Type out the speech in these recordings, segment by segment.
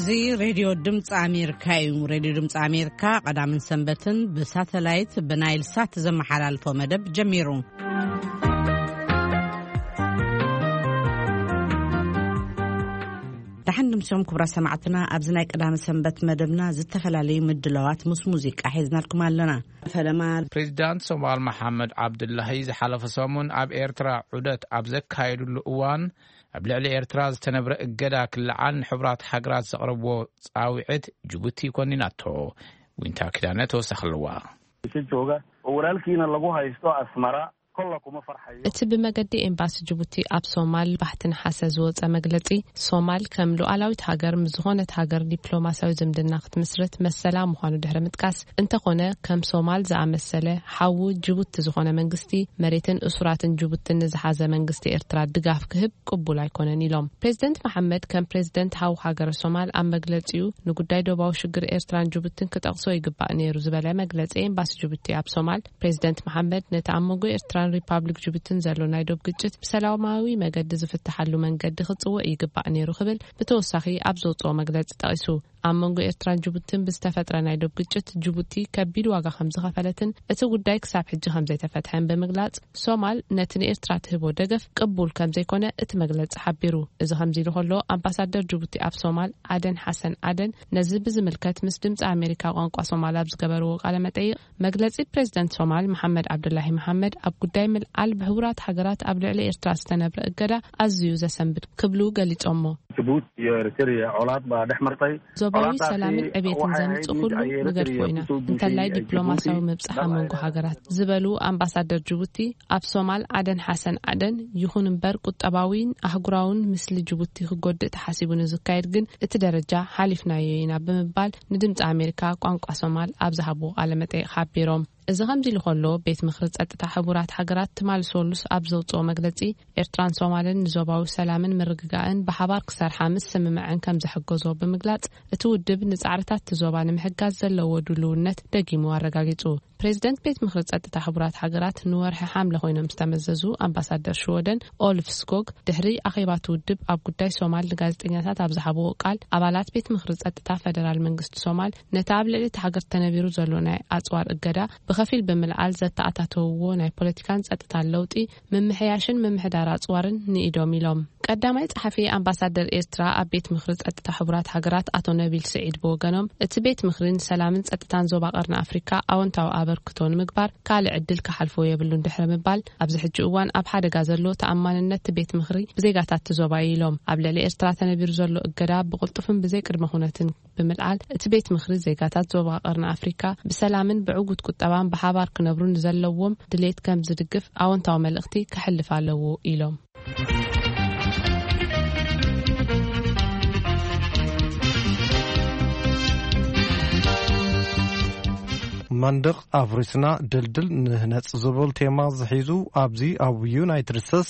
እዚ ሬድዮ ድምፂ ኣሜሪካ እዩ። ሬድዮ ድምፂ ኣሜሪካ ቀዳምን ሰንበትን ብሳተላይት ብናይል ሳት ዘመሓላልፎ መደብ ጀሚሩ። ደሓን ድምሶም ክቡራ ሰማዕትና፣ ኣብዚ ናይ ቀዳሚ ሰንበት መደብና ዝተፈላለዩ ምድላዋት ምስ ሙዚቃ ሒዝናልኩም ኣለና። ፈለማ ፕሬዚዳንት ሶማል መሓመድ ዓብዱላሂ ዝሓለፈ ሰሙን ኣብ ኤርትራ ዑደት ኣብ ዘካየዱሉ እዋን፣ ኣብ ልዕሊ ኤርትራ ዝተነብረ እገዳ ክለዓል ንሕቡራት ሃገራት ዘቕረብዎ ጻውዒት ጅቡቲ ኮኒናቶ። ዊንታ ኪዳነ ተወሳኺ ኣለዋ። Isa jooga oo walaalkiina lagu haysto Asmara, kolla kuma farxayo. እቲ ብመገዲ ኤምባሲ ጅቡቲ ኣብ ሶማል ባሕቲ ነሓሰ ዝወጸ መግለጺ፣ ሶማል ከም ሉዓላዊት ሃገር ምስ ዝኾነት ሃገር ዲፕሎማሲያዊ ዝምድና ክትምስርት መሰላ ምዃኑ ድሕሪ ምጥቃስ፣ እንተኾነ ከም ሶማል ዝኣመሰለ ሓዉ ጅቡቲ ዝኾነ መንግስቲ፣ መሬትን እሱራትን ጅቡትን ንዝሓዘ መንግስቲ ኤርትራ ድጋፍ ክህብ ቅቡል ኣይኮነን ኢሎም። ፕሬዚደንት መሓመድ ከም ፕሬዚደንት ሓው ሃገረ ሶማል ኣብ መግለጺኡ፣ ንጉዳይ ዶባዊ ሽግር ኤርትራን ጅቡትን ክጠቕሶ ይግባእ ነይሩ ዝበለ መግለጺ ኤምባሲ ጅቡቲ ኣብ ሶማል፣ ፕሬዚደንት መሓመድ ነቲ ኣብ መንጎ ኤርትራን ሪፓብሊክ ጅቡትን ዘሎ ናይ ዶብ ግጭት ብሰላማዊ መገዲ ዝፍትሓሉ መንገዲ ክጽውዕ ይግባእ ነይሩ ክብል ብተወሳኺ ኣብ ዘውጽኦ መግለጺ ጠቒሱ። ኣብ መንጎ ኤርትራን ጅቡትን ብዝተፈጥረ ናይ ዶብ ግጭት ጅቡቲ ከቢድ ዋጋ ከም ዝኸፈለትን እቲ ጉዳይ ክሳብ ሕጂ ከም ዘይተፈትሐን ብምግላጽ፣ ሶማል ነቲ ንኤርትራ ትህቦ ደገፍ ቅቡል ከም ዘይኮነ እቲ መግለጺ ሓቢሩ። እዚ ከምዚ ኢሉ ከሎ፣ ኣምባሳደር ጅቡቲ ኣብ ሶማል ዓደን ሓሰን ዓደን ነዚ ብዝምልከት ምስ ድምጺ ኣሜሪካ ቋንቋ ሶማል ኣብ ዝገበርዎ ቃለ መጠይቕ፣ መግለጺ ፕሬዚደንት ሶማል መሓመድ ዓብዱላሂ መሓመድ ኣብ ጉዳይ ምልዓል ብሕቡራት ሃገራት ኣብ ልዕሊ ኤርትራ ዝተነብረ እገዳ ኣዝዩ ዘሰንብድ ክብሉ ገሊጾሞ። Djibouti iyo Eritrea colaad baa dhex martay. ዞባዊ ሰላምን ዕቤትን ዘምጽእ ኩሉ ንገድፎ ኢና። እንተላይ ዲፕሎማሲያዊ ምብጻሕ ኣብ መንጎ ሃገራት ዝበሉ ኣምባሳደር ጅቡቲ፣ ኣብ ሶማል ዓደን ሓሰን ዓደን፣ ይኹን እምበር ቁጠባዊን ኣህጉራውን ምስሊ ጅቡቲ ክጎድእ ተሓሲቡ ንዝካየድ ግን እቲ ደረጃ ሓሊፍናዮ ኢና ብምባል ንድምፂ ኣሜሪካ ቋንቋ ሶማል ኣብ ዝሃብዎ ቃለ መጠይቕ ሓቢሮም። እዚ ከምዚ ኢሉ ከሎ፣ ቤት ምኽሪ ጸጥታ ሕቡራት ሃገራት ትማሊ ሰሉስ ኣብ ዘውፅኦ መግለጺ፣ ኤርትራን ሶማልን ንዞባዊ ሰላምን ምርግጋእን ብሓባር ክሰርሓ ምስ ስምምዐን ከም ዘሐገዞ ብምግላጽ፣ እቲ ውድብ ንጻዕርታት እቲ ዞባ ንምሕጋዝ ዘለዎ ድልውነት ደጊሙ ኣረጋጊጹ። ፕሬዚደንት ቤት ምኽሪ ጸጥታ ሕቡራት ሃገራት ንወርሒ ሓምለ ኮይኖም ዝተመዘዙ ኣምባሳደር ሽወደን ኦልፍ ስኮግ፣ ድሕሪ ኣኼባ እቲ ውድብ ኣብ ጉዳይ ሶማል ንጋዜጠኛታት ኣብ ዝሃብዎ ቃል፣ ኣባላት ቤት ምኽሪ ጸጥታ ፈደራል መንግስቲ ሶማል ነቲ ኣብ ልዕሊ እቲ ሃገር ተነቢሩ ዘሎ ናይ ኣጽዋር እገዳ ብኸፊል ብምልዓል፣ ዘተኣታተውዎ ናይ ፖለቲካን ጸጥታን ለውጢ፣ ምምሕያሽን ምምሕዳር ኣጽዋርን ንኢዶም ኢሎም። ቀዳማይ ጸሓፊ ኣምባሳደር ኤርትራ ኣብ ቤት ምኽሪ ጸጥታ ሕቡራት ሃገራት ኣቶ ነቢል ስዒድ ብወገኖም፣ እቲ ቤት ምኽሪ ንሰላምን ጸጥታን ዞባ ቀርኒ ኣፍሪካ ኣወንታዊ ኣበርክቶ ንምግባር ካልእ ዕድል ክሓልፎ የብሉን ድሕሪ ምባል፣ ኣብዚ ሕጂ እዋን ኣብ ሓደጋ ዘሎ ተኣማንነት እቲ ቤት ምኽሪ ብዜጋታት እቲ ዞባ እዩ ኢሎም። ኣብ ልዕሊ ኤርትራ ተነቢሩ ዘሎ እገዳ ብቕልጡፍን ብዘይ ቅድመ ኩነትን ብምልዓል፣ እቲ ቤት ምኽሪ ዜጋታት ዞባ ቀርኒ ኣፍሪካ ብሰላምን ብዕዉት ቁጠባን ብሓባር ክነብሩ ንዘለዎም ድሌት ከም ዝድግፍ ኣወንታዊ መልእኽቲ ከሕልፍ ኣለዎ ኢሎም። መንደቕ ኣፍሪስና ድልድል ንህነጽ ዝብል ቴማ ዝሒዙ ኣብዚ ኣብ ዩናይትድ ስቴትስ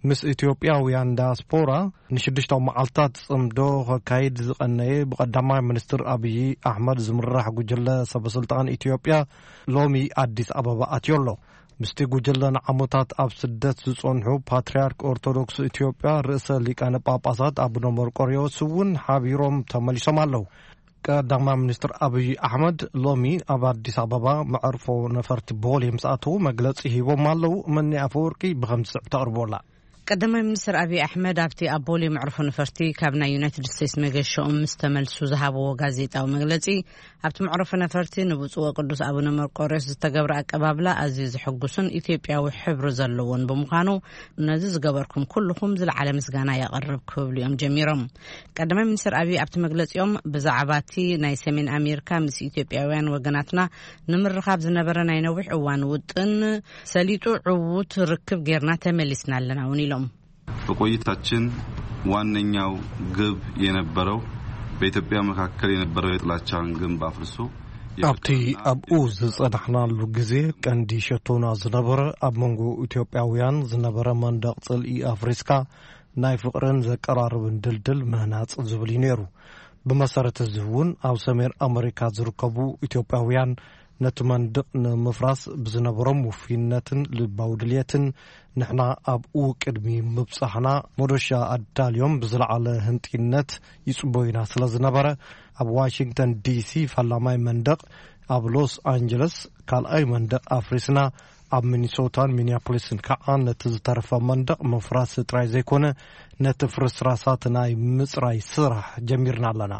ምስ ኢትዮጵያውያን ዳያስፖራ ንሽዱሽተ መዓልታት ጽምዶ ከካይድ ዝቐነየ ብቐዳማይ ሚኒስትር ኣብዪ ኣሕመድ ዝምራሕ ጉጅለ ሰበስልጣን ኢትዮጵያ ሎሚ ኣዲስ ኣበባ ኣትዮ ኣሎ። ምስቲ ጉጅለ ንዓመታት ኣብ ስደት ዝጸንሑ ፓትርያርክ ኦርቶዶክስ ኢትዮጵያ ርእሰ ሊቃነ ጳጳሳት ኣቡነ መርቆሬዎስ እውን ሓቢሮም ተመሊሶም ኣለዉ። ቀዳማይ ሚኒስትር ኣብይ ኣሕመድ ሎሚ ኣብ ኣዲስ ኣበባ መዕርፎ ነፈርቲ ቦሌ ምስ ኣተዉ መግለጺ ሂቦም ኣለዉ። መኒ ኣፈወርቂ ብኸምዚ ዝስዕብ ተቕርቦ ኣላ። ቀዳማይ ሚኒስትር ኣብይ ኣሕመድ ኣብቲ ኣብ ቦሌ መዕርፎ ነፈርቲ ካብ ናይ ዩናይትድ ስቴትስ መገሻኦም ምስ ተመልሱ ዝሃብዎ ጋዜጣዊ መግለጺ፣ ኣብቲ መዕርፎ ነፈርቲ ንብፁዕ ወቅዱስ ኣቡነ መርቆሬዎስ ዝተገብረ ኣቀባብላ ኣዝዩ ዘሐጉስን ኢትዮጵያዊ ሕብሪ ዘለዎን ብምዃኑ፣ ነዚ ዝገበርኩም ኩልኹም ዝለዓለ ምስጋና የቕርብ ክብሉ እዮም ጀሚሮም። ቀዳማይ ሚኒስትር ኣብይ ኣብቲ መግለጺኦም፣ ብዛዕባ እቲ ናይ ሰሜን ኣሜሪካ ምስ ኢትዮጵያውያን ወገናትና ንምርኻብ ዝነበረ ናይ ነዊሕ እዋን ውጥን ሰሊጡ ዕዉት ርክብ ጌርና ተመሊስና ኣለና እውን ኢሎም። በቆይታችን ዋነኛው ግብ የነበረው በኢትዮጵያ መካከል የነበረው የጥላቻን ግንብ አፍርሶ፣ ኣብቲ ኣብኡ ዝጸናሕናሉ ግዜ ቀንዲ ሸቶና ዝነበረ ኣብ መንጎ ኢትዮጵያውያን ዝነበረ መንደቕ ጽልኢ ኣፍሪስካ ናይ ፍቕርን ዘቀራርብን ድልድል ምህናጽ ዝብል እዩ ነይሩ። ብመሰረት እዚ እውን ኣብ ሰሜን ኣመሪካ ዝርከቡ ኢትዮጵያውያን ነቲ መንድቕ ንምፍራስ ብዝነበሮም ውፍይነትን ልባዊ ድልየትን፣ ንሕና ኣብኡ ቅድሚ ምብጻሕና፣ መዶሻ ኣዳልዮም ብዝለዓለ ህንጢነት ይጽበዩና ስለ ዝነበረ፣ ኣብ ዋሽንግተን ዲሲ ፈላማይ መንደቕ፣ ኣብ ሎስ ኣንጀለስ ካልኣይ መንደቕ ኣፍሪስና፣ ኣብ ሚኒሶታን ሚኒያፖሊስን ከዓ ነቲ ዝተረፈ መንደቕ ምፍራስ ጥራይ ዘይኮነ፣ ነቲ ፍርስራሳት ናይ ምጽራይ ስራሕ ጀሚርና ኣለና።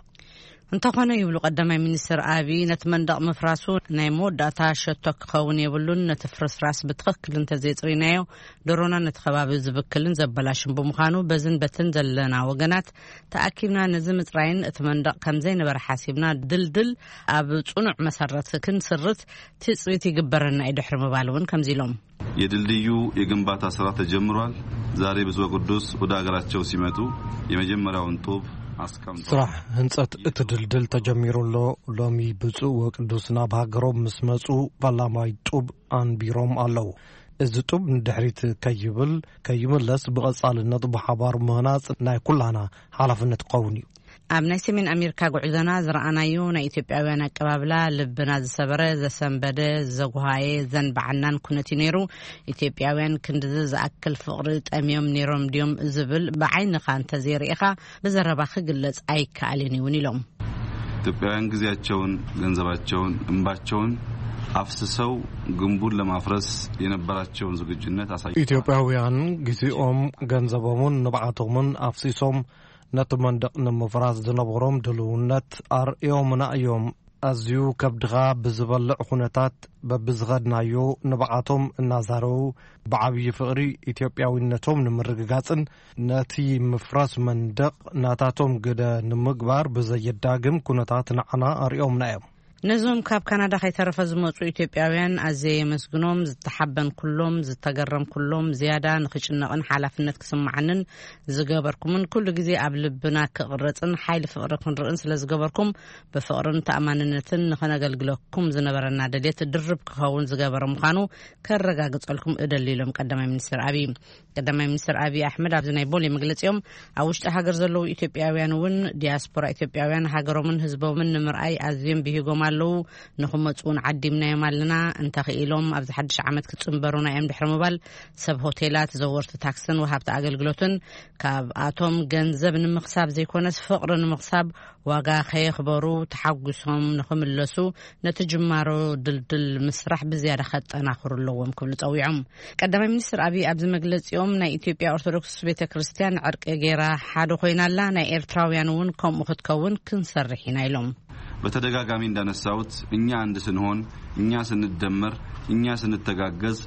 እንተኾነ፣ ይብሉ ቀዳማይ ሚኒስትር ኣቢ፣ ነቲ መንደቕ ምፍራሱ ናይ መወዳእታ ሸቶ ክኸውን የብሉን። ነቲ ፍርስራስ ብትኽክል እንተዘይጽሪናዮ፣ ደሮና ነቲ ከባቢ ዝብክልን ዘበላሽን ብምዃኑ፣ በዝን በትን ዘለና ወገናት ተኣኪብና ነዚ ምጽራይን እቲ መንደቕ ከም ዘይነበረ ሓሲብና፣ ድልድል ኣብ ጽኑዕ መሰረት ክንስርት ትጽቢት ይግበረና እዩ፣ ድሕሪ ምባል እውን ከምዚ ኢሎም። የድልድዩ የግንባታ ስራ ተጀምሯል። ዛሬ ብፁዕ ወቅዱስ ወደ ሀገራቸው ሲመጡ የመጀመሪያውን ጡብ አስቀምጠዋል። ስራሕ ህንጸት እቲ ድልድል ተጀሚሩ ኣሎ። ሎሚ ብፁዕ ወቅዱስ ናብ ሃገሮም ምስ መጹ፣ ፈላማይ ጡብ ኣንቢሮም ኣለዉ። እዚ ጡብ ንድሕሪት ከይብል፣ ከይምለስ፣ ብቐጻልነት ብሓባር ምህናጽ ናይ ኩላና ሓላፍነት ክኸውን እዩ። ኣብ ናይ ሰሜን ኣሜሪካ ጉዕዞና ዝረኣናዮ ናይ ኢትዮጵያውያን ኣቀባብላ ልብና ዝሰበረ፣ ዘሰንበደ፣ ዘጉሃየ፣ ዘንበዓናን ኩነት እዩ ነይሩ። ኢትዮጵያውያን ክንድዚ ዝኣክል ፍቕሪ ጠምዮም ነይሮም ድዮም ዝብል ብዓይንኻ እንተዘይርኢኻ ብዘረባ ክግለጽ ኣይከኣልን እውን ኢሎም። ኢትዮጵያውያን ጊዜያቸውን፣ ገንዘባቸውን፣ እንባቸውን አፍስሰው ግንቡን ለማፍረስ የነበራቸውን ዝግጁነት አሳይተዋል። ኢትዮጵያውያን ጊዜኦም፣ ገንዘቦምን ንብዓቶምን ኣፍሲሶም ነቲ መንደቕ ንምፍራስ ዝነበሮም ድልውነት ኣርእዮምና እዮም። ኣዝዩ ከብድኻ ብዝበልዕ ኩነታት በብዝኸድናዮ ንብዓቶም እናዛረቡ፣ ብዓብዪ ፍቕሪ ኢትዮጵያዊነቶም ንምርግጋጽን ነቲ ምፍራስ መንደቕ ናታቶም ግደ ንምግባር ብዘየዳግም ኩነታት ንዓና ኣርእዮምና እዮም። ነዞም ካብ ካናዳ ከይተረፈ ዝመጹ ኢትዮጵያውያን ኣዝየ የመስግኖም። ዝተሓበንኩሎም፣ ዝተገረምኩሎም፣ ዝያዳ ንኽጭነቕን ሓላፍነት ክስምዓንን ዝገበርኩምን፣ ኩሉ ግዜ ኣብ ልብና ክቕረጽን ሓይሊ ፍቕሪ ክንርእን ስለ ዝገበርኩም፣ ብፍቕርን ተኣማንነትን ንኸነገልግለኩም ዝነበረና ድሌት ድርብ ክኸውን ዝገበረ ምዃኑ ከረጋግጸልኩም እደሊ፣ ኢሎም ቀዳማይ ሚኒስትር ኣብይ። ቀዳማይ ሚኒስትር ኣብይ ኣሕመድ ኣብዚ ናይ ቦሌ መግለጺኦም፣ ኣብ ውሽጢ ሃገር ዘለዉ ኢትዮጵያውያን እውን፣ ዲያስፖራ ኢትዮጵያውያን ሃገሮምን ህዝቦምን ንምርኣይ ኣዝዮም ብሂጎም ኣለዉ። ንኽመጹ እውን ዓዲምናዮም ኣለና። እንተኽኢሎም ኣብዚ ሓድሽ ዓመት ክጽንበሩና እዮም ድሕሪ ምባል፣ ሰብ ሆቴላት፣ ዘወርቲ ታክስን ወሃብቲ ኣገልግሎትን ካብኣቶም ገንዘብ ንምኽሳብ ዘይኮነስ ፍቕሪ ንምኽሳብ ዋጋ ከየኽበሩ ተሓጒሶም ንኽምለሱ፣ ነቲ ጅማሮ ድልድል ምስራሕ ብዝያዳ ከጠናኽሩ ኣለዎም ክብሉ ጸዊዖም። ቀዳማይ ሚኒስትር ኣብይ ኣብዚ መግለጺኦም፣ ናይ ኢትዮጵያ ኦርቶዶክስ ቤተ ክርስቲያን ዕርቂ ገይራ ሓደ ኮይና ኣላ፣ ናይ ኤርትራውያን እውን ከምኡ ክትከውን ክንሰርሕ ኢና ኢሎም። በተደጋጋሚ እንዳነሳሁት፣ እኛ አንድ ስንሆን፣ እኛ ስንደመር፣ እኛ ስንተጋገዝ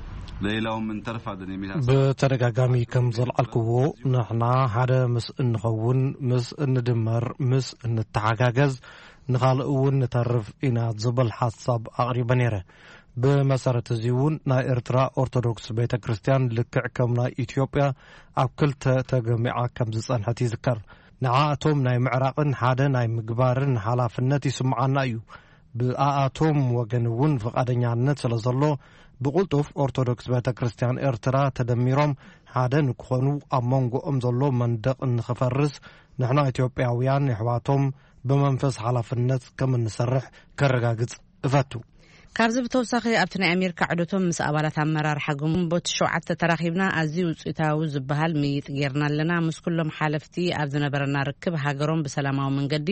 ለሌላውም እንተርፋለን የሚል ሀሳብ። ብተደጋጋሚ ከም ዘልዓልክዎ፣ ንሕና ሓደ ምስ እንኸውን፣ ምስ እንድመር፣ ምስ እንተሓጋገዝ፣ ንኻልእ እውን ንተርፍ ኢና ዝብል ሓሳብ ኣቕሪበ ነይረ። ብመሰረት እዚ እውን ናይ ኤርትራ ኦርቶዶክስ ቤተ ክርስቲያን ልክዕ ከም ናይ ኢትዮጵያ ኣብ ክልተ ተገሚዓ ከም ዝጸንሐት ይዝከር። ንዓኣቶም ናይ ምዕራቕን ሓደ ናይ ምግባርን ሓላፍነት ይስምዓና እዩ። ብኣኣቶም ወገን እውን ፍቓደኛነት ስለ ዘሎ፣ ብቕልጡፍ ኦርቶዶክስ ቤተ ክርስቲያን ኤርትራ ተደሚሮም ሓደ ንክኾኑ፣ ኣብ መንጎኦም ዘሎ መንደቕ ንኽፈርስ፣ ንሕና ኢትዮጵያውያን የሕዋቶም ብመንፈስ ሓላፍነት ከም እንሰርሕ ከረጋግጽ እፈቱ። ካብዚ ብተወሳኺ፣ ኣብቲ ናይ ኣሜሪካ ዑደቶም ምስ ኣባላት ኣመራርሓ ግንቦት ሸውዓተ ተራኺብና ኣዝዩ ውፅኢታዊ ዝበሃል ምይይጥ ጌርና ኣለና። ምስ ኩሎም ሓለፍቲ ኣብ ዝነበረና ርክብ፣ ሃገሮም ብሰላማዊ መንገዲ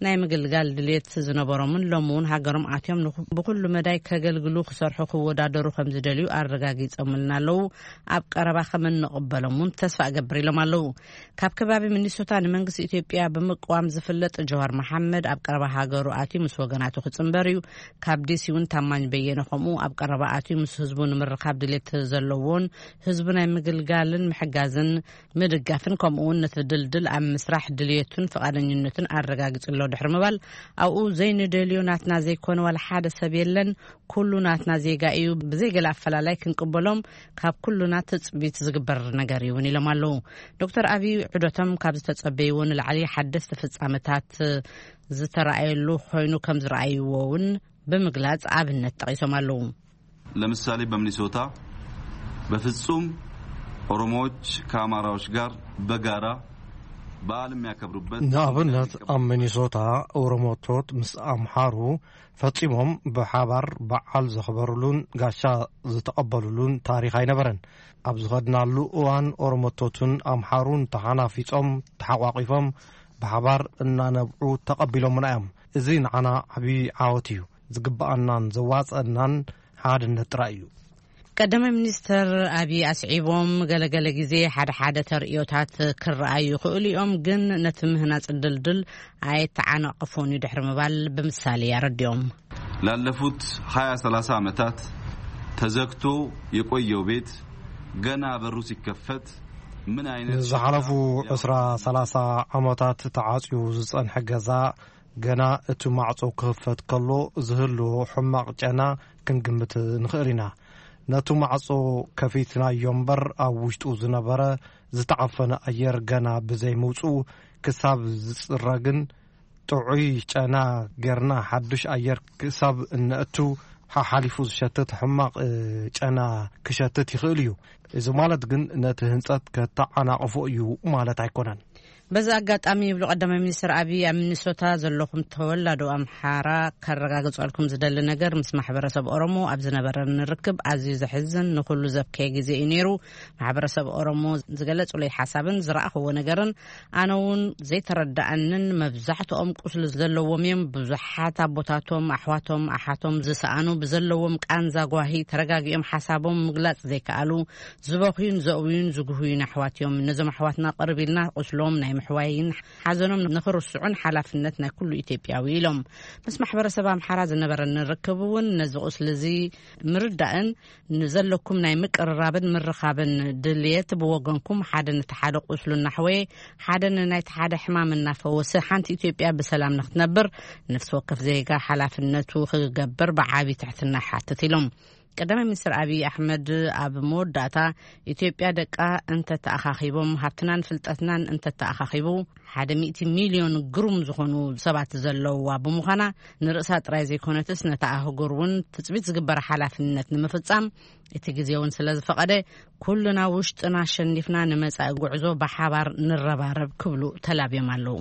ናይ ምግልጋል ድልየት ዝነበሮምን ሎሚ እውን ሃገሮም ኣትዮም ንኹ-፣ ብኹሉ መዳይ ከገልግሉ፣ ክሰርሑ፣ ክወዳደሩ ከም ዝደልዩ ኣረጋጊጾምልና ኣለዉ። ኣብ ቀረባ ከም እንቕበሎም እውን ተስፋ እገብር ኢሎም ኣለዉ። ካብ ከባቢ ሚኒሶታ ንመንግስቲ ኢትዮጵያ ብምቅዋም ዝፍለጥ ጀዋር መሓመድ ኣብ ቀረባ ሃገሩ ኣትዩ ምስ ወገናቱ ክጽንበር እዩ። ካብ ዲሲ እውን ታማኝ በየነ ከምኡ ኣብ ቀረባ ኣትዩ ምስ ህዝቡ ንምርኻብ ድሌት ዘለዎን ህዝቡ ናይ ምግልጋልን ምሕጋዝን ምድጋፍን ከምኡ እውን ነቲ ድልድል ኣብ ምስራሕ ድልየቱን ፍቓደኝነቱን ኣረጋጊጹ ኣሎ ድሕሪ ምባል ኣብኡ ዘይንደልዮ ናትና ዘይኮነ ዋላ ሓደ ሰብ የለን። ኩሉ ናትና ዜጋ እዩ። ብዘይ ገለ ኣፈላላይ ክንቅበሎም ካብ ኩሉና ትጽቢት ዝግበር ነገር እዩ እውን ኢሎም ኣለዉ። ዶክተር ኣብይ ዑደቶም ካብ ዝተጸበይዎ ንላዕሊ ሓደስቲ ፍጻመታት ዝተረኣየሉ ኮይኑ ከም ዝረኣይዎ እውን ብምግላጽ ኣብነት ጠቒሶም ኣለዉ። ለምሳሌ በሚኒሶታ በፍጹም ኦሮሞዎች ከአማራዎች ጋር በጋራ በዓል የሚያከብሩበት ንኣብነት፣ ኣብ ሚኒሶታ ኦሮሞቶት ምስ ኣምሓሩ ፈጺሞም ብሓባር በዓል ዘኽበሩሉን ጋሻ ዝተቐበሉሉን ታሪኽ ኣይነበረን። ኣብ ዝኸድናሉ እዋን፣ ኦሮሞቶትን ኣምሓሩን ተሓናፊጾም፣ ተሓቋቒፎም፣ ብሓባር እናነብዑ ተቐቢሎምና እዮም። እዚ ንዓና ዓቢ ዓወት እዩ። ዝግብኣናን ዘዋጽኣናን ሓድነት ጥራይ እዩ። ቀዳማይ ሚኒስተር ኣብይ ኣስዒቦም፣ ገለገለ ግዜ ሓደ ሓደ ተርእዮታት ክረኣዩ ይኽእሉ እዮም፣ ግን ነቲ ምህናጽ ድልድል ኣይተዓናቕፎን እዩ ድሕሪ ምባል ብምሳሌ ኣረዲኦም። ላለፉት ሃያ ሰላሳ ዓመታት ተዘግቶ የቆየው ቤት ገና በሩ ሲከፈት ምን አይነት ንዝሓለፉ ዕስራ ሰላሳ ዓመታት ተዓጽዩ ዝጸንሐ ገዛ ገና እቲ ማዕጾ ክኽፈት ከሎ ዝህልዎ ሕማቕ ጨና ክንግምት ንኽእል ኢና። ነቲ ማዕጾ ከፊትናዮ እምበር፣ ኣብ ውሽጡ ዝነበረ ዝተዓፈነ ኣየር ገና ብዘይምውጽኡ ክሳብ ዝጽረግን ጥዑይ ጨና ጌርና ሓዱሽ ኣየር ክሳብ እነእቱ ሓሓሊፉ ዝሸትት ሕማቕ፣ እ፣ ጨና ክሸትት ይኽእል እዩ። እዚ ማለት ግን ነቲ ህንጸት ከተዓናቕፎ እዩ ማለት ኣይኮነን። በዚ ኣጋጣሚ ይብሉ ቀዳማይ ሚኒስትር ኣቢይ፣ ኣብ ሚኒሶታ ዘለኹም ተወላዶ ኣምሓራ ከረጋግጸልኩም ዝደሊ ነገር፣ ምስ ማሕበረሰብ ኦሮሞ ኣብ ዝነበረኒ ርክብ ኣዝዩ ዘሕዝን ንኹሉ ዘብከየ ግዜ እዩ ነይሩ። ማሕበረሰብ ኦሮሞ ዝገለጹለይ ሓሳብን ዝረኣኽዎ ነገርን ኣነ እውን ዘይተረዳኣንን መብዛሕትኦም ቁስሊ ዘለዎም እዮም። ብዙሓት ኣቦታቶም፣ ኣሕዋቶም፣ ኣሓቶም ዝሰኣኑ ብዘለዎም ቃንዛ ጓሂ ተረጋጊኦም ሓሳቦም ምግላጽ ዘይከኣሉ ዝበኽዩን ዘእውዩን ዝጉህዩን ኣሕዋት እዮም። ነዞም ኣሕዋትና ቅርብ ኢልና ቁስሎም ናይ ምሕዋይን ሓዘኖም ንኽርስዑን ሓላፍነት ናይ ኩሉ ኢትዮጵያዊ ኢሎም። ምስ ማሕበረሰብ ኣምሓራ ዝነበረኒ ርክብ እውን ነዚ ቁስሊ እዚ ምርዳእን ንዘለኩም ናይ ምቅርራብን ምርኻብን ድልየት ብወገንኩም ሓደ ነቲ ሓደ ቁስሉ እናሕወየ ሓደ ንናይቲ ሓደ ሕማም እናፈወሰ ሓንቲ ኢትዮጵያ ብሰላም ንክትነብር ነፍሲ ወከፍ ዜጋ ሓላፍነቱ ክገብር ብዓቢ ትሕትና ይሓትት ኢሎም። ቀዳማይ ሚኒስትር ኣቢይ ኣሕመድ ኣብ መወዳእታ፣ ኢትዮጵያ ደቃ እንተተኣኻኺቦም፣ ሃብትናን ፍልጠትናን እንተተኣኻኺቡ፣ ሓደ ሚእቲ ሚልዮን ግሩም ዝኾኑ ሰባት ዘለውዋ ብምዃና፣ ንርእሳ ጥራይ ዘይኮነትስ ነታ ኣህጉር እውን ትጽቢት ዝግበረ ሓላፍነት ንምፍጻም እቲ ግዜ እውን ስለ ዝፈቐደ፣ ኩልና ውሽጥና ኣሸኒፍና ንመጻኢ ጉዕዞ ብሓባር ንረባረብ ክብሉ ተላብዮም ኣለዉ።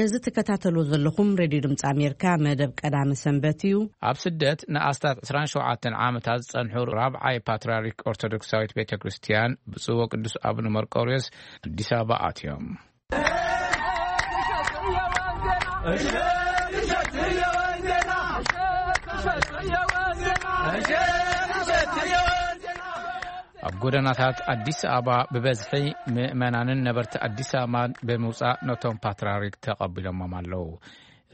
እዚ ትከታተሉ ዘለኹም ሬድዮ ድምፂ ኣሜሪካ መደብ ቀዳሚ ሰንበት እዩ። ኣብ ስደት ንኣስታት ዕስራን ሸውዓተን ዓመታት ዝጸንሑ ራብዓይ ፓትርያርክ ኦርቶዶክሳዊት ቤተ ክርስቲያን ብፁዕ ወቅዱስ ኣቡነ መርቆርዮስ ኣዲስ ኣበባ ኣትዮም። ኣብ ጎደናታት ኣዲስ ኣበባ ብበዝሒ ምእመናንን ነበርቲ ኣዲስ ኣበባን ብምውጻእ ነቶም ፓትርያርክ ተቐቢሎሞም ኣለዉ።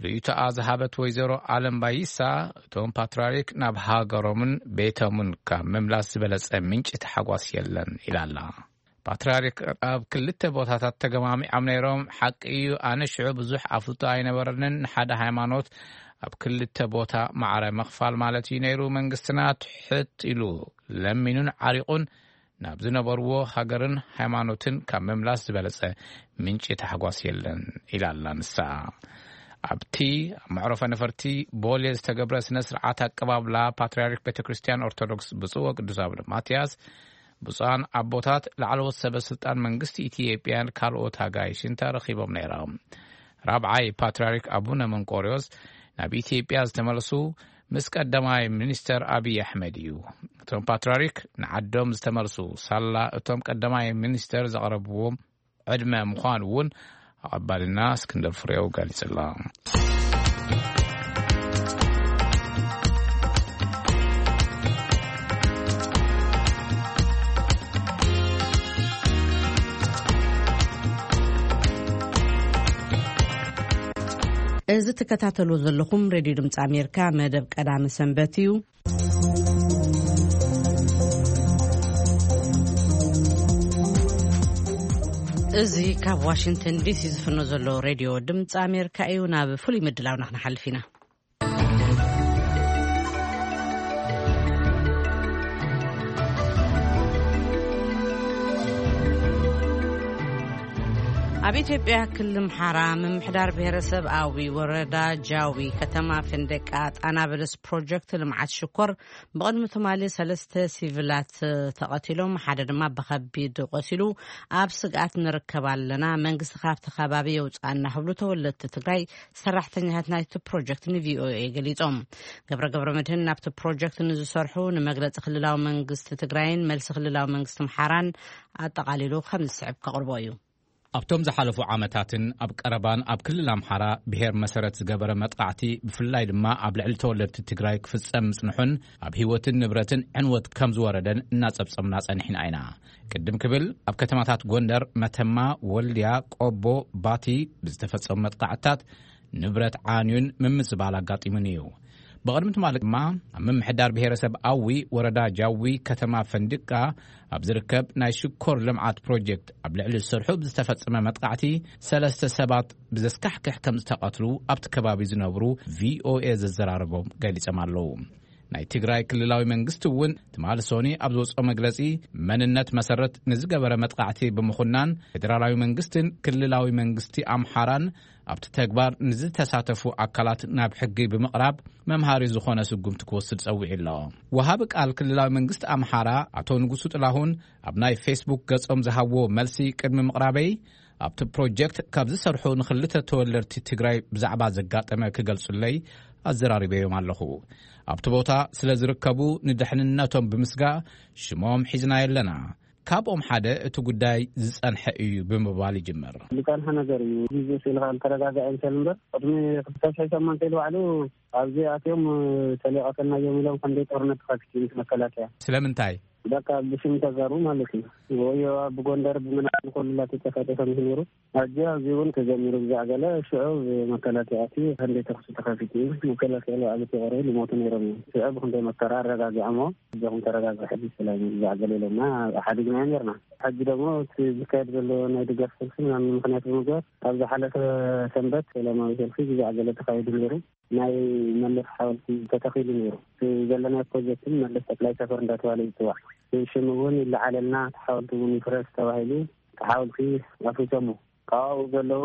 ርእይቶኣ ዝሃበት ወይዘሮ ኣለም ባይሳ፣ እቶም ፓትርያርክ ናብ ሃገሮምን ቤቶምን ካብ ምምላስ ዝበለጸ ምንጪ ተሓጓስ የለን ኢላ ኣላ። ፓትርያርክ ኣብ ክልተ ቦታታት ተገማሚዖም ነይሮም። ሓቂ እዩ፣ ኣነ ሽዑ ብዙሕ ኣፍልጦ ኣይነበረንን። ንሓደ ሃይማኖት ኣብ ክልተ ቦታ ማዕረ ምኽፋል ማለት እዩ ነይሩ። መንግስትና ትሕት ኢሉ ለሚኑን ዓሪቑን ናብ ዝነበርዎ ሃገርን ሃይማኖትን ካብ ምምላስ ዝበለጸ ምንጪ ታሕጓስ የለን ኢላ ኣላ ንሳ። ኣብቲ ኣብ መዕረፎ ነፈርቲ ቦሌ ዝተገብረ ስነ ስርዓት ኣቀባብላ ፓትርያርክ ቤተ ክርስቲያን ኦርቶዶክስ ብፁዕ ወቅዱስ ኣቡነ ማትያስ፣ ብፁዓን ኣቦታት፣ ላዕለዎት ሰበ ስልጣን መንግስቲ ኢትዮጵያን ካልኦት ኣጋይሽን ተረኺቦም ነይሮም። ራብዓይ ፓትርያርክ ኣቡነ መንቆርዮስ ናብ ኢትዮጵያ ዝተመለሱ ምስ ቀዳማይ ሚኒስተር ኣቢይ ኣሕመድ እዩ። እቶም ፓትርያርክ ንዓዶም ዝተመልሱ ሳላ እቶም ቀዳማይ ሚኒስተር ዘቕረብዎም ዕድመ ምዃኑ እውን ኣቐባልና እስክንድር ፍሬው ገሊጹ ኣሎ። እዚ ትከታተሉ ዘለኹም ሬድዮ ድምፂ ኣሜሪካ መደብ ቀዳሚ ሰንበት እዩ። እዚ ካብ ዋሽንግተን ዲሲ ዝፍኖ ዘሎ ሬድዮ ድምፂ ኣሜሪካ እዩ። ናብ ፍሉይ ምድላውና ክንሓልፍ ኢና። ኣብ ኢትዮጵያ ክልል ኣምሓራ ምምሕዳር ብሔረሰብ ኣዊ ወረዳ ጃዊ ከተማ ፈንደቃ ጣና በለስ ፕሮጀክት ልምዓት ሽኮር ብቕድሚ ትማሊ ሰለስተ ሲቪላት ተቐቲሎም፣ ሓደ ድማ ብኸቢድ ቆሲሉ ኣብ ስግኣት ንርከብ ኣለና፣ መንግስቲ ካብቲ ከባቢ የውፅኣና ክብሉ ተወለድቲ ትግራይ ሰራሕተኛታት ናይቲ ፕሮጀክት ንቪኦኤ ገሊፆም። ገብረ ገብረ መድህን ናብቲ ፕሮጀክት ንዝሰርሑ ንመግለፂ ክልላዊ መንግስቲ ትግራይን መልሲ ክልላዊ መንግስቲ ኣምሓራን ኣጠቓሊሉ ከም ዝስዕብ ከቕርቦ እዩ። ኣብቶም ዝሓለፉ ዓመታትን ኣብ ቀረባን ኣብ ክልል ኣምሓራ ብሔር መሰረት ዝገበረ መጥቃዕቲ፣ ብፍላይ ድማ ኣብ ልዕሊ ተወለድቲ ትግራይ ክፍጸም ምጽንሑን ኣብ ህይወትን ንብረትን ዕንወት ከም ዝወረደን እናጸብጸብና ጸኒሕና ኢና። ቅድም ክብል ኣብ ከተማታት ጎንደር፣ መተማ፣ ወልድያ፣ ቆቦ፣ ባቲ ብዝተፈጸሙ መጥቃዕትታት ንብረት ዓንዩን ምምዝባል ኣጋጢሙን እዩ። ብቕድሚ ትማሊ ድማ ኣብ ምምሕዳር ብሔረሰብ ኣዊ ወረዳ ጃዊ ከተማ ፈንድቃ ኣብ ዝርከብ ናይ ሽኮር ልምዓት ፕሮጀክት ኣብ ልዕሊ ዝሰርሑ ብዝተፈጸመ መጥቃዕቲ ሰለስተ ሰባት ብዘስካሕክሕ ከም ዝተቐትሉ ኣብቲ ከባቢ ዝነብሩ ቪኦኤ ዘዘራረቦም ገሊጾም ኣለዉ። ናይ ትግራይ ክልላዊ መንግስቲ እውን ትማሊ ሶኒ ኣብ ዝወፅኦ መግለጺ፣ መንነት መሰረት ንዝገበረ መጥቃዕቲ ብምኹናን ፌዴራላዊ መንግስትን ክልላዊ መንግስቲ ኣምሓራን ኣብቲ ተግባር ንዝተሳተፉ ኣካላት ናብ ሕጊ ብምቕራብ መምሃሪ ዝኾነ ስጉምቲ ክወስድ ጸዊዑ ኣሎ። ወሃቢ ቃል ክልላዊ መንግስቲ ኣምሓራ ኣቶ ንጉሱ ጥላሁን ኣብ ናይ ፌስቡክ ገጾም ዝሃብዎ መልሲ ቅድሚ ምቕራበይ፣ ኣብቲ ፕሮጀክት ካብ ዝሰርሑ ንኽልተ ተወለድቲ ትግራይ ብዛዕባ ዘጋጠመ ክገልጹለይ ኣዘራሪበዮም ኣለኹ። ኣብቲ ቦታ ስለ ዝርከቡ ንድሕንነቶም ብምስጋእ ሽሞም ሒዝና የለና። ካብኦም ሓደ እቲ ጉዳይ ዝጸንሐ እዩ ብምባል ይጅምር። ዝጸንሐ ነገር እዩ። ግዜ ስኢልካ ተረጋጋእ ይምሰል እምበር፣ ቅድሚ ክልተ ሺሕ ሸሞንተ ኢሉ ባዕሉ ኣብዚ ኣትዮም ተሊቐተና እዮም ኢሎም፣ ክንደይ ጦርነት ተኸፊቱ ምስ መከላከያ። ስለምንታይ? በቃ ብሽም ተጋሩ ማለት እዩ። ወይ ኣብ ጎንደር ብምናምን ኮሉላ ተተፈጠ ከም ዝነሩ፣ ሕጂ ኣብዚ እውን ተጀሚሩ ብዛዕ ገለ ሽዑ ብመከላከያ እቲ ክንደይ ተኹሲ ተኸፊቱ እዩ። መከላከያ ባዕሉ ተቆረቡ ልሞቱ ነይሮም እዮም። ሽዑ ብክንደይ መከራ ኣረጋጊዖሞ፣ እዚኹም ተረጋግሑ፣ ሕጂ ሰላም እዩ ብዛዕ ገለ ኢሎምና፣ ሓዲግናዮ ነርና። ሕጂ ደግሞ እቲ ዝካየድ ዘሎ ናይ ድጋፍ ሰልፊ ምናምን ምክንያት ብምግባር ኣብ ዝሓለፈ ሰንበት ሰላማዊ ሰልፊ ብዛዕ ገለ ተኻይዱ ነይሩ። ናይ መለስ ሓወልቲ ተተኺሉ ነይሩ። እቲ ዘለናዮ ፕሮጀክትን መለስ ጠቅላይ ሰፈር እንዳተባለ ይፅዋዕ። ሽም እውን ይለዓለልና፣ እቲ ሓወልቲ እውን ይፍረስ ተባሂሉ፣ እቲ ሓወልቲ ኣፍሪሶሞ። ካብኡ ዘለዉ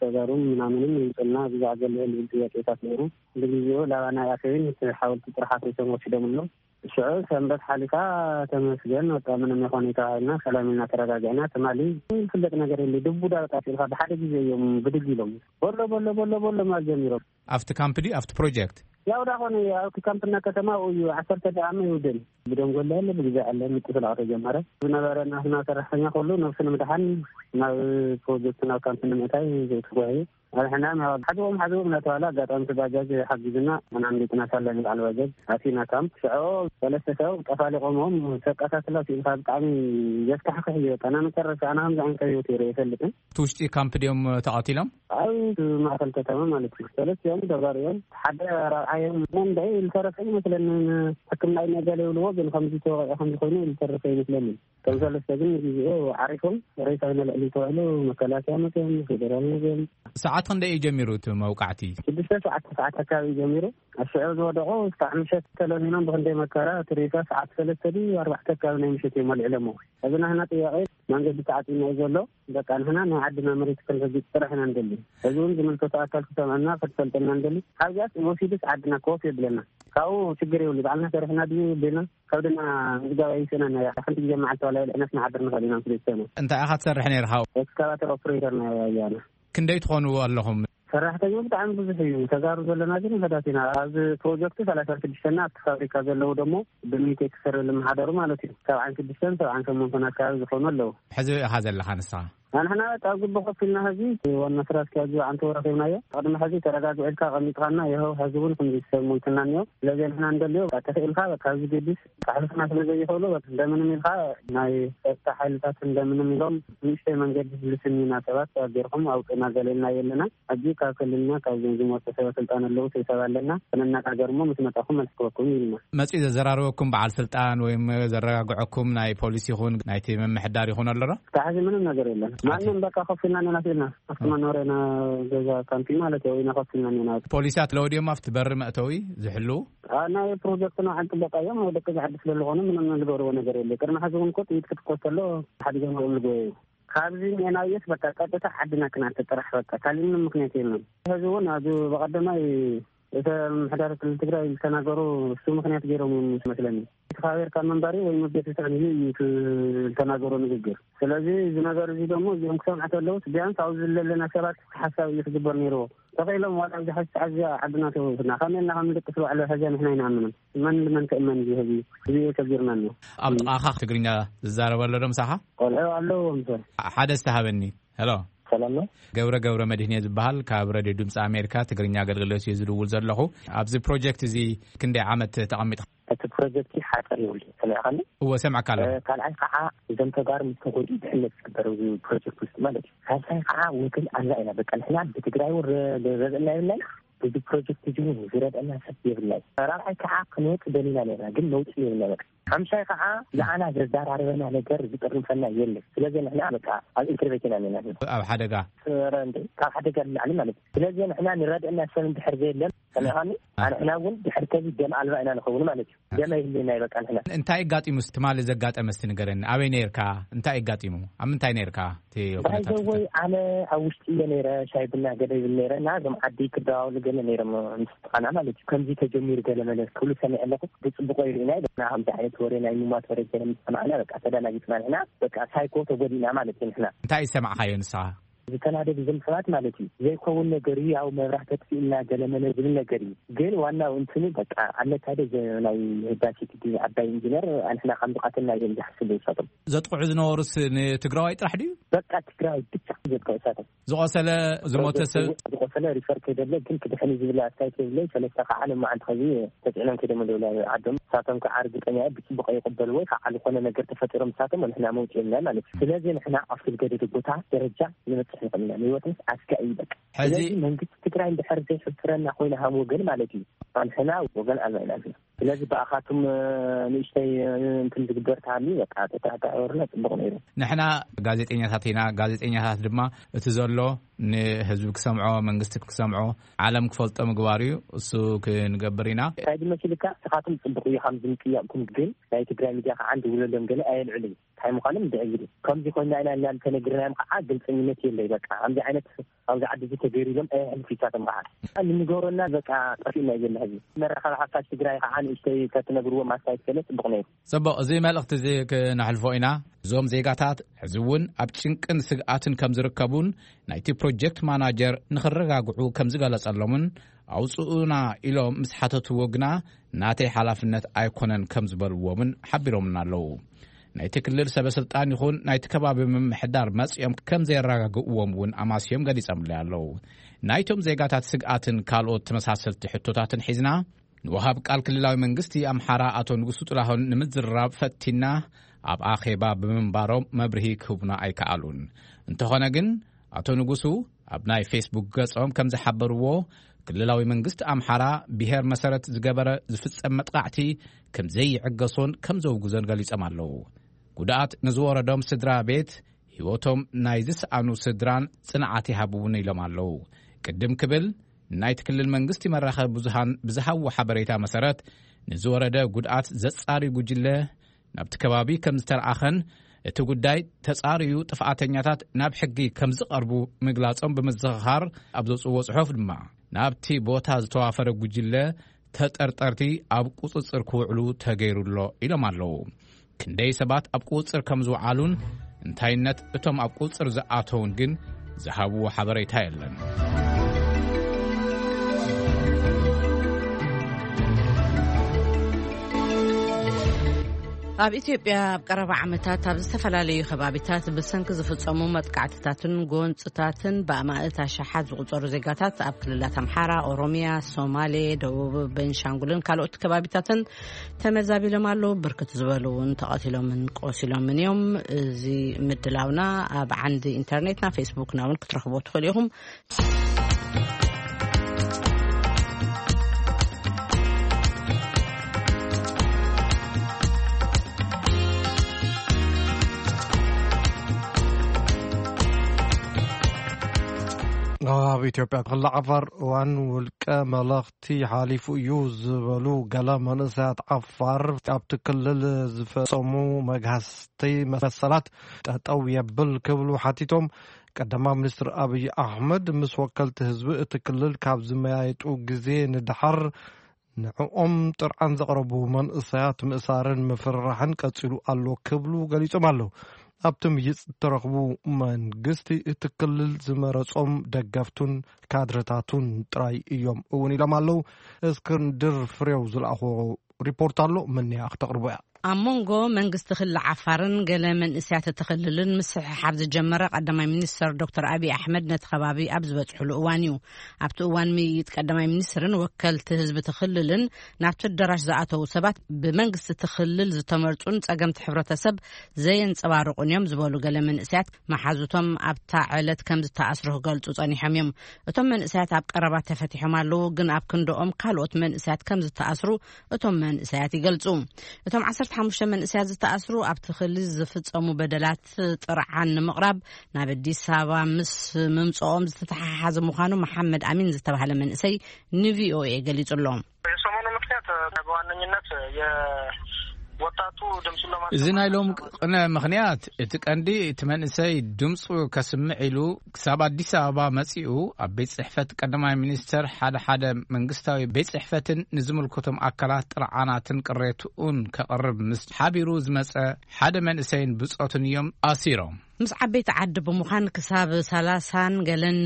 ተጋሩን ምናምንን ይምፅልና ብዛዕ ገለ ልብል ጥያቄታት ነይሩ። ብግዜኡ ላባ ናይ ኣሰብን እቲ ሓወልቲ ጥራሕ ኣፍሪሶም ወሲዶም ኣለዉ። ሽዑ ሰንበት ሓሊፋ ተመስገን፣ በቃ ምንም ይኾን ተባሂልና፣ ሰላም ኢልና ተረጋጊዕና። ትማሊ ዝፍለጥ ነገር የለ፣ ድቡዳ በቃ ሲልካ ብሓደ ግዜ እዮም ብድግ ኢሎም። ቦሎ፣ ቦሎ፣ ቦሎ፣ ቦሎ ማለት ጀሚሮም። ኣብቲ ካምፕ ድዩ ኣብቲ ፕሮጀክት? ያው ዳ ኾነ ኣብቲ ካምፕና ከተማ እዩ፣ ዓሰርተ ደቂቃ ይውድን። ብደንጎላ ያለ ብግዜ ያለ ምጥፍላቕ ተጀመረ። ዝነበረ ናትና ሰራሕተኛ ኩሉ ነብሱ ንምድሓን ናብ ፕሮጀክት ናብ ካምፕ ንምእታይ ተጓዩ። ኣድሕና ናብ ሓዝቦም ሓዝቦም እናተባለ ኣጋጣሚ እቲ ባጃጅ ሓጊዝና፣ ኣናንዲጥና ሳለን በዓል ባጃጅ ኣቲና ካምፕ። ሽዑ ሰለስተ ሰብ ጠፋሊቖሞም ተቀታትላ ሲኢልካ ብጣዕሚ ዘስካሕክሕ እዩ። በቃ ናብ መጨረሻ ኣነ ከምዚ ዓይነት ህይወት ይረ ይፈልጥን። እቲ ውሽጢ ካምፕ ድዮም ተቐቲሎም? ኣብ ማእከል ከተማ ማለት እዩ። ሰለስቲኦም ተጋሩ እዮም። ሓደ ራብዓዮም መንደይ ዝተረፈ ይመስለኒ። ሕክምና እዩ ነገለ ይብልዎ፣ ግን ከምዚ ተወቂዑ ከምዚ ኮይኑ ዝተረፈ ይመስለኒ። ከም ሰለስተ ግን ንግዜኡ ዓሪፎም ሬሳ ንልዕሊ ተባሂሉ መከላከያ መፅኦም፣ ፌደራል መፅኦም። ሰዓት ክንደይ እዩ ጀሚሩ እቲ መውቃዕቲ? ሽዱሽተ ሰዓት፣ ሰዓት ኣካባቢ ጀሚሩ። ኣብ ሽዑ ዝወደቑ እስካዕ ምሸት ተለሚኖም ብክንደይ መከራ እቲ ሬሳ ሰዓት ሰለስተ ድዩ ኣርባዕተ ኣካባቢ ናይ ምሸት እዮም ኣልዒሎሞ። እዚ ናህና ጥያቄ መንገዲ ተዓፂና እዩ ዘሎ። በቃ ንሕና ናይ ዓድና መሬት ክንረግፅ ጥራሕ ኢና ንደሊ። እዚ እውን ዝምልከቶ ኣካል ክሰምዐና ክትፈልጠና ንደሊ። ካብዚኣስ ወሲድስ ዓድና ኮፍ የብለና። ካብኡ ችግር የብሉ። ባዕልና ሰሪሕና ድዩ ቤና ከብድና ምዝጋብ ኣይስእነና እያ። ሓንቲ ግዜ መዓልቲ ዋላ የልዕነስ ንሓድር ንኽእል ኢና ምስ ቤተሰብና። እንታይ ኢኻ ትሰርሕ ነይርኻ? ኤክስካቫተር ኦፕሬተር ናይ ኣያና። ክንደይ ትኾኑ ኣለኹም? ሰራሕተኛ ብጣዕሚ ብዙሕ እዩ። ተጋሩ ዘለና ግን ውሑዳት ኢና። ኣብዚ ፕሮጀክት ሰላሳ ሽዱሽተ እና ኣብቲ ፋብሪካ ዘለዉ ደሞ ብሚቴክ ስር ዝመሓደሩ ማለት እዩ። ሰብዓን ሽዱሽተን ሰብዓን ሸሞንተን ኣካባቢ ዝኾኑ ኣለዉ። ሕዚ ኢኻ ዘለኻ ንስኻ? ኣንሕና በቃ ኣብ ግቢ ኮፍ ኢልና ሕዚ ዋና ስራ ኣስኪያጁ ኣንተ ረኺብናዮ። ቅድሚ ሕዚ ተረጋግዑ ኢልካ ቀሚጥካና፣ ይኸው ሕዚ እውን ክንዲ ሰብ ሞይትና እኒኦ። ስለዚ ንሕና እንደልዮ በቃ ተኽኢልካ በቃ ኣብዚ ገዲስ ካሕልፍና ስለ ዘይኽእሉ በቃ እንደምንም ኢልካ ናይ ጸጥታ ሓይልታት እንደምንም ኢሎም ንእሽተይ መንገዲ ዝልስኒና ሰባት ኣገርኩም ኣውፅና ገለልና የለና። ሕጂ ካብ ክልልና ካብ ዞን ዝመፁ ሰበ ስልጣን ኣለዉ፣ ሰብ ኣለና፣ ክንነጋገር እሞ ምስ መጣኹም መልሲ ክበኩም ኢልና። መፂኡ ዘዘራርበኩም በዓል ስልጣን ወይም ዘረጋግዐኩም ናይ ፖሊስ ይኹን ናይቲ ምምሕዳር ይኹን ኣሎ ዶ? እስካዕ ሕዚ ምንም ነገር የለን። ማንም በቃ ኮፍ ኢልና ኢና ኢልና ኣብቲ መኖርያና ገዛ ካምፒ ማለት እዩ ኢና ኮፍ ኢልና ኢና። ፖሊሳት ኣለዉ ድዮም ኣብቲ በሪ መእተዊ ዝሕልዉ? አ፣ ናይ ፕሮጀክትና ዓንቂ በቃ እዮም ደቂ ዓዲ ስለ ዝኾኑ ምንም ዝገብርዎ ነገር የለ። ቅድሚ ሕዚ እውን እኮ ጥይት ክትኮስ ከሎ ሓዲጎም እዮም ዝጎየዩ። ካብዚ ሜናውየት በቃ ቀጥታ ዓድና ክናተ ጥራሕ በቃ ካልእ ምንም ምክንያት የለን። ሕዚ እውን ኣብ በቐደማይ እቲ ምሕዳር ክልል ትግራይ ዝተናገሩ እሱ ምክንያት ገይሮም እዮም መስለኒ። እቲ ካቤርካ መንባሪ ወይ መገትታን እዩ እዩ እቲ ዝተናገሩ ንግግር። ስለዚ እዚ ነገር እዚ ደግሞ እዚኦም ክሰምዑ ከለውስ ቢያንስ ኣብዚ ዘለና ሰባት ሓሳብ እዩ ክግበር ነይርዎ። ተኽኢሎም ዋላ ኣብዚ ሓዚ ሰዓት እዚኣ ዓድና ተውትና ከመይ ኢልና ከም ንደቅስ ባዕሉ ሕዚ ንሕና ኣይንኣምንን። መን ንመን ክእመን እዩ ህዝቢ? እዚ እዩ ከቢርና ኣሎ። ኣብ ጥቓኻ ትግርኛ ዝዛረብ ኣሎ ዶ ምሳኻ? ቆልዑ ኣለዎ ምሰ ሓደ ዝተሃበኒ። ሄሎ። ሰላም ነው። ገብረ ገብረ መድህን እየ ዝበሃል። ካብ ሬድዮ ድምፂ ኣሜሪካ ትግርኛ ኣገልግሎት እየ ዝድውል ዘለኹ። ኣብዚ ፕሮጀክት እዚ ክንደይ ዓመት ተቐሚጥካ? እቲ ፕሮጀክት ሓፀር ይብል ሰሚዕካኒ? እወ፣ ሰምዐካ ኣለኹ። እ፣ ካልኣይ ከዓ እዞም ተጋሩ ምስ ተጎድኡ ድሕነት ዝግበር ኣብዚ ፕሮጀክት ውስጥ ማለት እዩ። ሳልሳይ ከዓ ወገን ኣላ ኢና። በቃ ንሕና ብትግራይ እውን ረ-፣ ረብእና የብልና ኢና። እዚ ፕሮጀክት እዚ እውን ዝረድአና ሰብ የብልና እዩ። ራብዓይ ከዓ ክንወፅ ደሊና ነርና፣ ግን መውፅኢ የብልና። በቃ ሓምሻይ ከዓ ንዓና ዘዘራርበና ነገር ዝጥርንፈና የለን። ስለዚ ንሕና በቃ ኣብ ኢንተርቬት ኢና ነና። ኣብ ሓደጋ? ኧረ እንዴ፣ ካብ ሓደጋ ንላዕሊ ማለት እዩ። ስለዚ ንሕና ንረድአና ሰብ እንድሕር ዘየለን፣ ሰሚዕካኒ? አ። ንሕና እውን ድሕር ከዚ ደም ኣልባ ኢና ንኸውን ማለት እዩ። ደም ኣይህልየና እዩ በቃ ንሕና። እንታይ ኣጋጢሙ? ትማሊ ዘጋጠመ እስቲ ንገረኒ። ኣበይ ነይርካ? እንታይ ኣጋጢሙ? ኣብ ምንታይ ነይርካ? እቲ ኩነታት ባይዘወይ ኣነ ኣብ ውሽጢ እየ ነይረ፣ ሻይ ቡና ገለ ይብል ነይረ እና እዞም ዓዲ ክደዋውሉ ገለ ነይሮም ምስ ጥቓና ማለት እዩ። ከምዚ ተጀሚሩ ገለ መለ ክብሉ ሰሚዐ ኣለኹ። ብፅቡቆ ይርእና ኢና። ከምዚ ዓይነት ወሬ ናይ ምሟት ወሬ ገለ ምስ ሰማዕና በቃ ተደናጊፅና ንሕና። በቃ ሳይኮ ተጎዲእና ማለት እዩ ንሕና። እንታይ ዝሰማዕካዮ ንስኻ? ዝተናደዱ እዞም ሰባት ማለት እዩ። ዘይከውን ነገር እዩ፣ ያው መብራህቲ ኣጥፊእና ገለ መለ ዝብል ነገር እዩ። ግን ዋናው እንትኑ በቃ ኣለካደ ናይ ህዳሴ ግድብ ዓባይ ኢንጂነር ኣንሕና ከም ዝቐተልና እዮም ዝሓስቡ ንሳቶም። ዘጥቕዑ ዝነበሩስ ንትግራዋይ ጥራሕ ድዩ? በቃ ትግራዋይ ብቻ ዘጥቅዑ ንሳቶም። ዝቆሰለ፣ ዝሞተ ሰብ? ዝቆሰለ ሪፈር ከይደለ ግን ክድሕን ዝብል ኣስተያየት የብለይ። ሰለስተ ከዓ ለማዓንቲ ከዚ ተፅዕኖም ከይዶም ኣለዉ ዓዶም። ንሳቶም ከዓ ርግጠኛ እየ ብፅቡቅ ይቅበልዎ ወይ ከዓ ዝኾነ ነገር ተፈጢሮም ንሳቶም ንሕና መውፅእ የብልና ማለት እዩ። ስለዚ ንሕና ኣብ ዝገደደ ቦታ ደረጃ ንበፅሕ ንኽእል ኢና። ንህይወት ምስ ኣስጋኢ እዩ በቃ። ሕዚ ስለዚ መንግስቲ ትግራይ እንድሕር ዘይሕፍረና ኮይና ሃም ወገን ማለት እዩ። ኣንሕና ወገን ኣልባ ኢና ንሕና። ስለዚ ብኣኻትኩም፣ እ፣ ንእሽተይ፣ እ፣ እንትን ዝግበር ተሃልዩ በቃ ተተሓታወርና ጽቡቕ ነይሩ። ንሕና ጋዜጠኛታት ኢና። ጋዜጠኛታት ድማ እቲ ዘሎ ንህዝቢ ክሰምዖ፣ መንግስቲ ክሰምዖ፣ ዓለም ክፈልጦ ምግባር እዩ። እሱ ክንገብር ኢና። እንታይ ድመሲልካ? ንስኻትኩም ጽቡቕ እዩ፣ ከም ዝምጥያቕኩም ግን ናይ ትግራይ ሚድያ ከዓ እንድውለሎም ገለ ኣየልዕሉ እዩ። እንታይ ምዃኖም እንድዕግሉ። ከምዚ ኮይና ኢና ኢልና እንተነግርናዮም ከዓ ግልፀኝነት የለይ። በቃ ከምዚ ዓይነት ኣብዚ ዓዲ እዚ ተገይሩ ኢሎም ኣየሕልፉ ይሳቶም ከዓ። ንምገሮና በቃ ጠፊእና እዩ ዘሎ ህዝቢ። መራኸቢ ሓፋሽ ትግራይ ከዓ ንእሽተይ ተትነግርዎም ኣስተያየት ገለ ጽቡቕ ነይሩ። ጽቡቕ፣ እዚ መልእኽቲ እዚ ክነሕልፎ ኢና። እዞም ዜጋታት ሕዚ እውን ኣብ ጭንቅን ስግኣትን ከም ዝርከቡን ናይቲ ፕሮጀክት ማናጀር ንኽረጋግዑ ከም ዝገለጸሎምን ኣውፅኡና ኢሎም ምስ ሓተትዎ ግና ናተይ ሓላፍነት ኣይኮነን ከም ዝበልዎምን ሓቢሮምና ኣለዉ። ናይቲ ክልል ሰበ ስልጣን ይኹን ናይቲ ከባቢ ምምሕዳር መጺኦም ከም ዘየረጋግእዎም እውን ኣማስዮም ገሊጾምለይ ኣለዉ። ናይቶም ዜጋታት ስግኣትን ካልኦት ተመሳሰልቲ ሕቶታትን ሒዝና ንወሃብ ቃል ክልላዊ መንግስቲ ኣምሓራ ኣቶ ንጉሱ ጥላሁን ንምዝራብ ፈቲና ኣብ ኣኼባ ብምንባሮም መብርሂ ክህቡና ኣይከኣሉን። እንተኾነ ግን ኣቶ ንጉሱ ኣብ ናይ ፌስቡክ ገጾም ከም ዝሓበርዎ ክልላዊ መንግስቲ ኣምሓራ ብሄር መሰረት ዝገበረ ዝፍጸም መጥቃዕቲ ከም ዘይዕገሶን ከም ዘውግዞን ገሊጾም ኣለዉ። ጉድኣት ንዝወረዶም ስድራ ቤት ህይወቶም ናይ ዝሰኣኑ ስድራን ጽንዓት ይሃብውን ኢሎም ኣለዉ። ቅድም ክብል ናይቲ ክልል መንግስቲ መራኸቢ ብዙሃን ብዝሃብዎ ሓበሬታ መሰረት ንዝወረደ ጉድኣት ዘጻሪ ጉጅለ ናብቲ ከባቢ ከም ዝተለኣኸን እቲ ጉዳይ ተጻርዩ ጥፍኣተኛታት ናብ ሕጊ ከም ዝቐርቡ ምግላጾም ብምዝኽኻር ኣብ ዘውፅዎ ጽሑፍ ድማ ናብቲ ቦታ ዝተዋፈረ ጉጅለ ተጠርጠርቲ ኣብ ቁጽጽር ክውዕሉ ተገይሩ ኣሎ ኢሎም ኣለዉ። ክንደይ ሰባት ኣብ ቁጽጽር ከም ዝወዓሉን እንታይነት እቶም ኣብ ቁጽጽር ዝኣተውን ግን ዝሃብዎ ሓበሬታ የለን። ኣብ ኢትዮጵያ ኣብ ቀረባ ዓመታት ኣብ ዝተፈላለዩ ከባቢታት ብሰንኪ ዝፍጸሙ መጥቃዕትታትን ጎንጽታትን ብኣማእት ኣሽሓት ዝቑጸሩ ዜጋታት ኣብ ክልላት ኣምሓራ፣ ኦሮሚያ፣ ሶማሌ፣ ደቡብ፣ ቤንሻንጉልን ካልኦት ከባቢታትን ተመዛቢሎም ኣለዉ። ብርክት ዝበሉ እውን ተቐቲሎምን ቆሲሎምን እዮም። እዚ ምድላውና ኣብ ዓንዲ ኢንተርኔትና ፌስቡክና እውን ክትረኽቦ ትኽእሉ ኢኹም። ኣብ ኢትዮጵያ ክልል ዓፋር እዋን ውልቀ መለኽቲ ሓሊፉ እዩ ዝበሉ ገለ መንእሰያት ዓፋር ኣብቲ ክልል ዝፈጸሙ መግሃስቲ መሰላት ጠጠው የብል ክብሉ ሓቲቶም። ቀዳማይ ሚኒስትር ኣብይ ኣሕመድ ምስ ወከልቲ ህዝቢ እቲ ክልል ካብ ዝመያየጡ ግዜ ንደሓር ንዕኦም ጥርዓን ዘቕረቡ መንእሰያት ምእሳርን ምፍርራሕን ቀጺሉ ኣሎ ክብሉ ገሊጾም ኣለዉ። ኣብቲ ምይይጥ ዝተረኽቡ መንግስቲ እቲ ክልል ዝመረጾም ደገፍቱን ካድረታቱን ጥራይ እዮም እውን ኢሎም ኣለዉ። እስክንድር ፍሬው ዝለኣኾ ሪፖርት ኣሎ፣ ምንያ ክተቕርቦ እያ። ኣብ መንጎ መንግስቲ ክልል ዓፋርን ገለ መንእሰያት እቲ ክልልን ምስሕሓብ ዝጀመረ ቀዳማይ ሚኒስትር ዶክተር ኣብይ ኣሕመድ ነቲ ከባቢ ኣብ ዝበጽሕሉ እዋን እዩ። ኣብቲ እዋን ምይይጥ ቀዳማይ ሚኒስትርን ወከልቲ ህዝቢ እቲ ክልልን ናብቲ ኣዳራሽ ዝኣተዉ ሰባት ብመንግስቲ እቲ ክልል ዝተመርጹን ጸገምቲ ሕብረተሰብ ዘየንጸባርቑን እዮም ዝበሉ ገለ መንእሰያት መሓዙቶም ኣብታ ዕለት ከም ዝተኣስሩ ክገልጹ ጸኒሖም እዮም። እቶም መንእሰያት ኣብ ቀረባ ተፈቲሖም ኣለዉ፣ ግን ኣብ ክንድኦም ካልኦት መንእሰያት ከም ዝተኣስሩ እቶም መንእሰያት ይገልጹ። እቶም ዓሰርተ ሓሙሽተ መንእሰያት ዝተኣስሩ ኣብቲ ክልል ዝፍጸሙ በደላት ጥርዓን ንምቕራብ ናብ ኣዲስ ኣበባ ምስ ምምጽኦም ዝተተሓሓዘ ምዃኑ መሓመድ ኣሚን ዝተባህለ መንእሰይ ንቪኦኤ ገሊጹ ኣሎ። የሰሞኑ ምክንያት በዋነኝነት የወጣቱ ድምፁን ለማሰማት እዚ ናይ ሎም ቅነ ምክንያት እቲ ቀንዲ እቲ መንእሰይ ድምፁ ከስምዕ ኢሉ ክሳብ ኣዲስ ኣበባ መፂኡ ኣብ ቤት ፅሕፈት ቀዳማይ ሚኒስተር ሓደ ሓደ መንግስታዊ ቤት ፅሕፈትን ንዝምልከቶም ኣካላት ጥርዓናትን ቅሬትኡን ከቕርብ ምስ ሓቢሩ ዝመፀ ሓደ መንእሰይን ብፆትን እዮም ኣሲሮም። ምስ ዓበይቲ ዓዲ ብምዃን ክሳብ ሰላሳን ገለን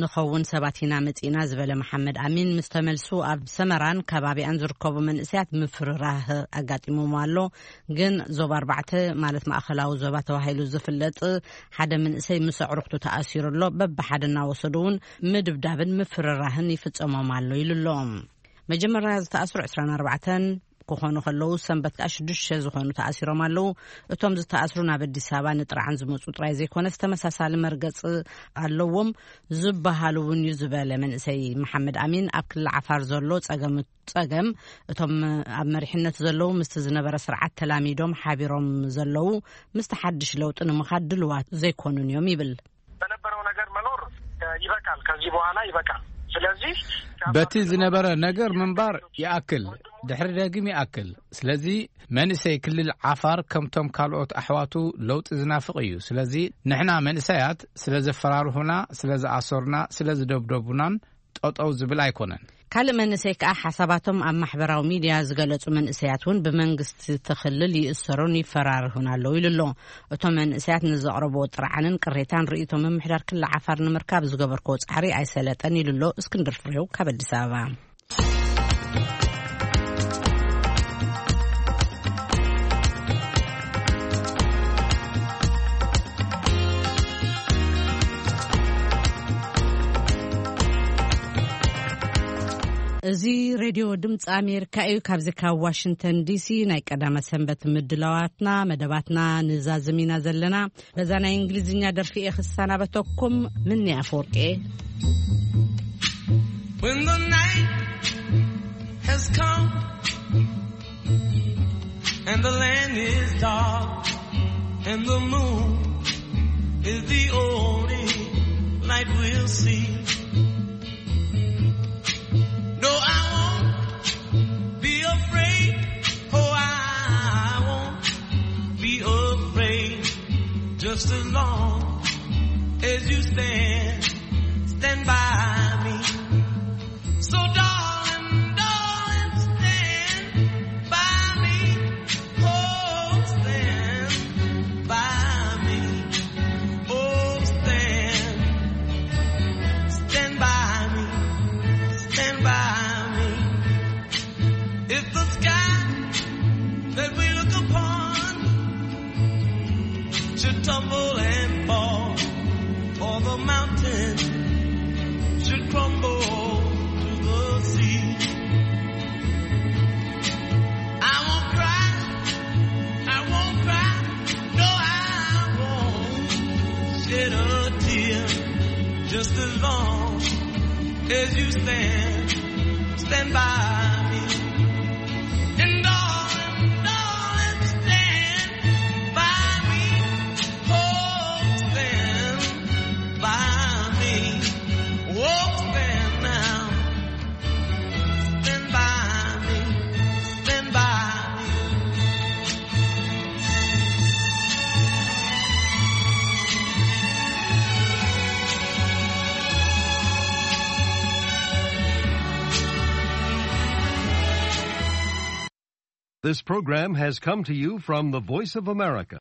ንኸውን ሰባት ኢና መጺእና ዝበለ መሓመድ ኣሚን፣ ምስ ተመልሱ ኣብ ሰመራን ከባቢኣን ዝርከቡ መንእሰያት ምፍርራህ ኣጋጢሞም ኣሎ። ግን ዞባ ኣርባዕተ ማለት ማእኸላዊ ዞባ ተባሂሉ ዝፍለጥ ሓደ መንእሰይ ምስ ኣዕሩኽቱ ተኣሲሩ ኣሎ። በብሓደ እናወሰዱ እውን ምድብዳብን ምፍርራህን ይፍጸሞም ኣሎ ኢሉ ኣሎ። መጀመርያ ዝተኣስሩ ዕስራን ኣርባዕተን ክኾኑ ከለዉ፣ ሰንበት ከኣ ሽዱሽተ ዝኾኑ ተኣሲሮም ኣለዉ። እቶም ዝተኣስሩ ናብ ኣዲስ ኣበባ ንጥርዓን ዝመጹ ጥራይ ዘይኮነስ፣ ተመሳሳሊ መርገጺ ኣለዎም ዝበሃሉ እውን እዩ ዝበለ መንእሰይ መሓመድ ኣሚን፣ ኣብ ክልል ዓፋር ዘሎ ጸገም፣ ጸገም እቶም ኣብ መሪሕነት ዘለዉ ምስቲ ዝነበረ ስርዓት ተላሚዶም ሓቢሮም ዘለዉ ምስቲ ሓድሽ ለውጢ ንምኻድ ድልዋት ዘይኮኑን እዮም ይብል። በነበረው ነገር መኖር ይበቃል። ከዚህ በኋላ ይበቃል። ስለዚህ በቲ ዝነበረ ነገር ምንባር ይኣክል፣ ድሕሪ ደጊም ይኣክል። ስለዚ መንእሰይ ክልል ዓፋር ከምቶም ካልኦት ኣሕዋቱ ለውጢ ዝናፍቕ እዩ። ስለዚ ንሕና መንእሰያት ስለ ዘፈራርሁና፣ ስለ ዝኣሰሩና፣ ስለ ዝደብደቡናን ጠጠው ዝብል ኣይኮነን። ካልእ መንእሰይ ከኣ ሓሳባቶም ኣብ ማሕበራዊ ሚድያ ዝገለጹ መንእሰያት እውን ብመንግስቲ እቲ ክልል ይእሰሩን ይፈራርሁን ኣለዉ ኢሉ ኣሎ። እቶም መንእሰያት ንዘቕረብዎ ጥርዓንን ቅሬታን ርእይቶ ምምሕዳር ክልል ዓፋር ንምርካብ ዝገበርክዎ ጻዕሪ ኣይሰለጠን ኢሉ ኣሎ እስክንድር ፍሬው ካብ ኣዲስ ኣበባ። እዚ ሬድዮ ድምፂ ኣሜሪካ እዩ። ካብዚ ካብ ዋሽንግተን ዲሲ ናይ ቀዳመ ሰንበት ምድላዋትና፣ መደባትና ንዛዝም ኢና ዘለና። በዛ ናይ እንግሊዝኛ ደርፊ እየ ክሰናበተኩም። ምኒ ኣፈወርቂ እየ። When the night has come and the land is dark and the moon is the only light we'll see. No, I won't be afraid. Oh, I won't be afraid. Just as long as you stand, stand by me. So, darling, darling, stand by me. Oh, stand by me. Oh, stand, stand by me. Stand by me. If the sky that we look upon should tumble and fall, or the mountain should crumble to the sea, I won't cry, I won't cry, no, I won't shed a tear. Just as long as you stand, stand by me. And darling, darling, stand by me. Oh, stand by me. This program has come to you from the Voice of America.